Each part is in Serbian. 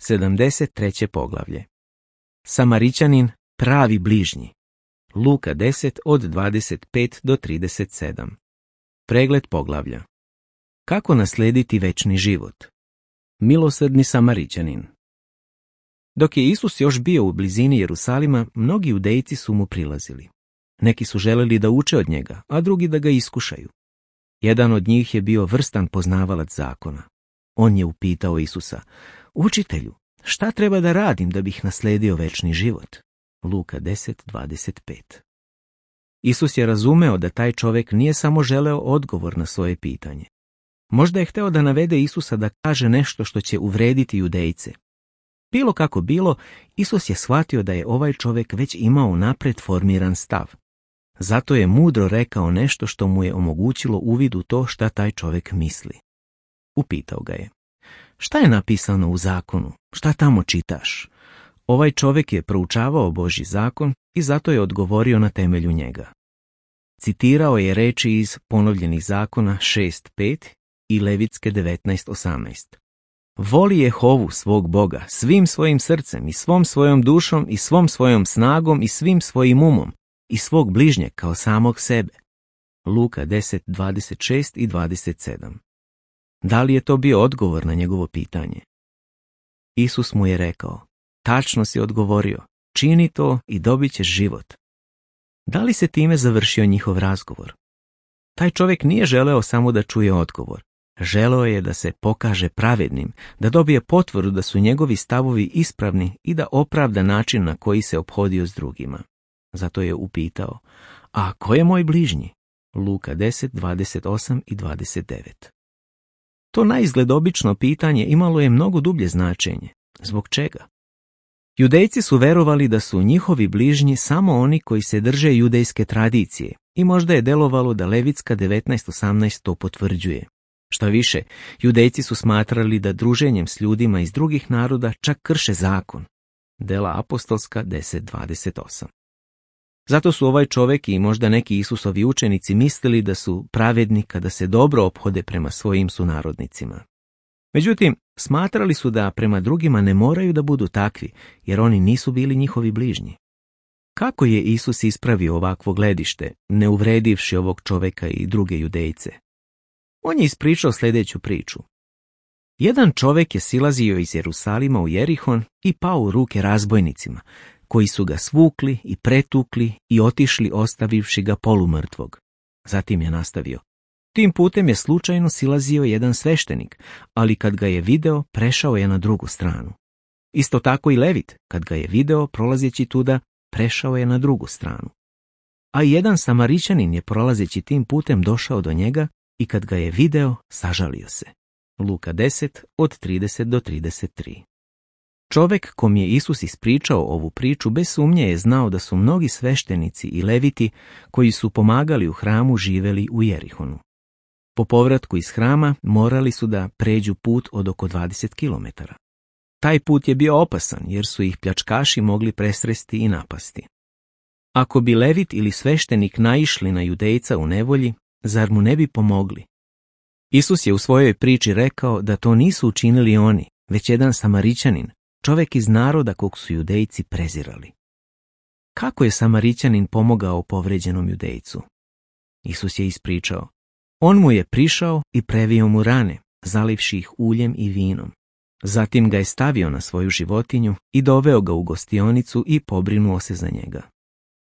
73. poglavlje. Samarićanin, pravi bližnji. Luka 10 od 25 do 37. Pregled poglavlja. Kako naslijediti večni život? Milosrdni Samarićanin. Dok je Isus još bio u blizini Jerusalima, mnogi judejci su mu prilazili. Neki su želeli da uče od njega, a drugi da ga iskušaju. Jedan od njih je bio vrstan poznavalac zakona. On je upitao Isusa: Učitelju, šta treba da radim da bih naslijedio večni život? Luka 10:25. Isus je razumeo da taj čovjek nije samo želeo odgovor na svoje pitanje. Možda je hteo da navede Isusa da kaže nešto što će uvrediti judejce. Bilo kako bilo, Isus je shvatio da je ovaj čovjek već imao napred formiran stav. Zato je mudro rekao nešto što mu je omogućilo uvid u to šta taj čovjek misli. Upitao ga je: Šta je napisano u zakonu? Šta tamo čitaš? Ovaj čovjek je proučavao Božji zakon i zato je odgovorio na temelju njega. Citirao je reči iz Ponovljenih zakona 6:5 i Levitske 19:18. Voli Jehovu svog Boga svim svojim srcem i svom svojom dušom i svom svojom snagom i svim svojim umom i svog bližnjeg kao samog sebe. Luka 10:26 i 27. Da li je to bio odgovor na njegovo pitanje? Isus mu je rekao: Tačno si odgovorio, čini to i dobit ćeš život. Da li se time završio njihov razgovor? Taj čovjek nije želeo samo da čuje odgovor. Želeo je da se pokaže pravednim, da dobije potvrdu da su njegovi stavovi ispravni i da opravda način na koji se ophodio s drugima. Zato je upitao: A ko je moj bližnji? Luka 10:28 i 29. To naizgled obično pitanje imalo je mnogo dublje značenje. Zbog čega? Judejci su verovali da su njihovi bližnji samo oni koji se drže judejske tradicije i možda je delovalo da Levitska 19:18 to potvrđuje. Šta više, judejci su smatrali da druženjem s ljudima iz drugih naroda čak krše zakon. Dela apostolska 10:28. Zato su ovaj čovjek i možda neki Isusovi učenici mislili da su pravedni kada se dobro ophode prema svojim sunarodnicima. Međutim, smatrali su da prema drugima ne moraju da budu takvi, jer oni nisu bili njihovi bližnji. Kako je Isus ispravio ovakvo gledište, ne uvredivši ovog čovjeka i druge judejce? On je ispričao sljedeću priču. Jedan čovjek je silazio iz Jerusalima u Jerihon i pao u ruke razbojnicima, koji su ga svukli i pretukli i otišli ostavivši ga polumrtvog. Zatim je nastavio: Tim putem je slučajno silazio jedan sveštenik, ali kad ga je video, prešao je na drugu stranu. Isto tako i Levit, kad ga je video prolazeći tuda, prešao je na drugu stranu. A i jedan Samarićanin je prolazeći tim putem došao do njega i kad ga je video, sažalio se. Luka 10 od 30 do 33. Čovjek kom je Isus ispričao ovu priču bez sumnje je znao da su mnogi sveštenici i leviti koji su pomagali u hramu živeli u Jerihonu. Po povratku iz hrama morali su da pređu put od oko 20 kilometara. Taj put je bio opasan jer su ih pljačkaši mogli presresti i napasti. Ako bi levit ili sveštenik naišli na judejca u nevolji, zar mu ne bi pomogli? Isus je u svojoj priči rekao da to nisu učinili oni, već jedan Samarićanin, čovjek iz naroda kog su judejci prezirali. Kako je Samarićanin pomogao povređenom judejcu? Isus je ispričao: On mu je prišao i previo mu rane, zalivši ih uljem i vinom. Zatim ga je stavio na svoju životinju i doveo ga u gostionicu i pobrinuo se za njega.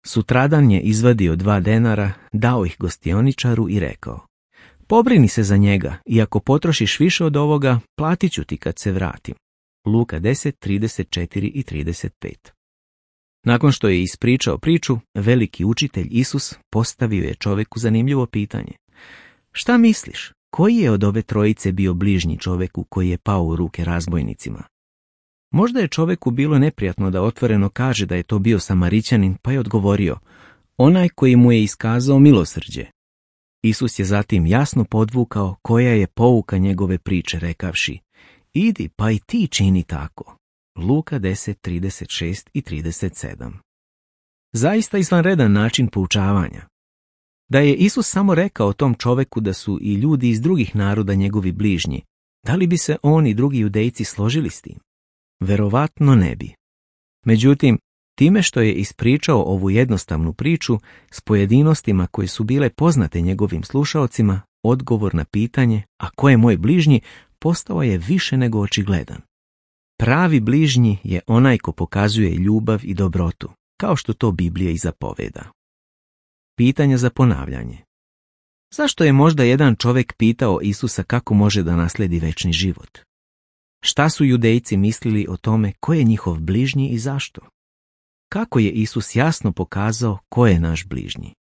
Sutradan je izvadio 2 denara, dao ih gostioničaru i rekao: Pobrini se za njega i ako potrošiš više od ovoga, platit ću ti kad se vratim. Luka 10:34 i 35. Nakon što je ispričao priču, veliki učitelj Isus postavio je čovjeku zanimljivo pitanje: Šta misliš, koji je od ove trojice bio bližnji čovjeku koji je pao u ruke razbojnicima? Možda je čovjeku bilo neprijatno da otvoreno kaže da je to bio Samarićanin, pa je odgovorio: Onaj koji mu je iskazao milosrđe. Isus je zatim jasno podvukao koja je pouka njegove priče rekavši: Idi pa i ti čini tako. Luka 10:36 i 37. Zaista izvanredan način poučavanja. Da je Isus samo rekao tom čoveku da su i ljudi iz drugih naroda njegovi bližnji, da li bi se on i drugi judejci složili s tim? Verovatno ne bi. Međutim, time što je ispričao ovu jednostavnu priču s pojedinostima koje su bile poznate njegovim slušaocima, odgovor na pitanje „a ko je moj bližnji?“ postao je više nego očigledan. Pravi bližnji je onaj ko pokazuje ljubav i dobrotu, kao što to Biblija i zapoveda. Pitanje za ponavljanje. Zašto je možda jedan čovjek pitao Isusa kako može da nasledi večni život? Šta su Judejci mislili o tome ko je njihov bližnji i zašto? Kako je Isus jasno pokazao ko je naš bližnji?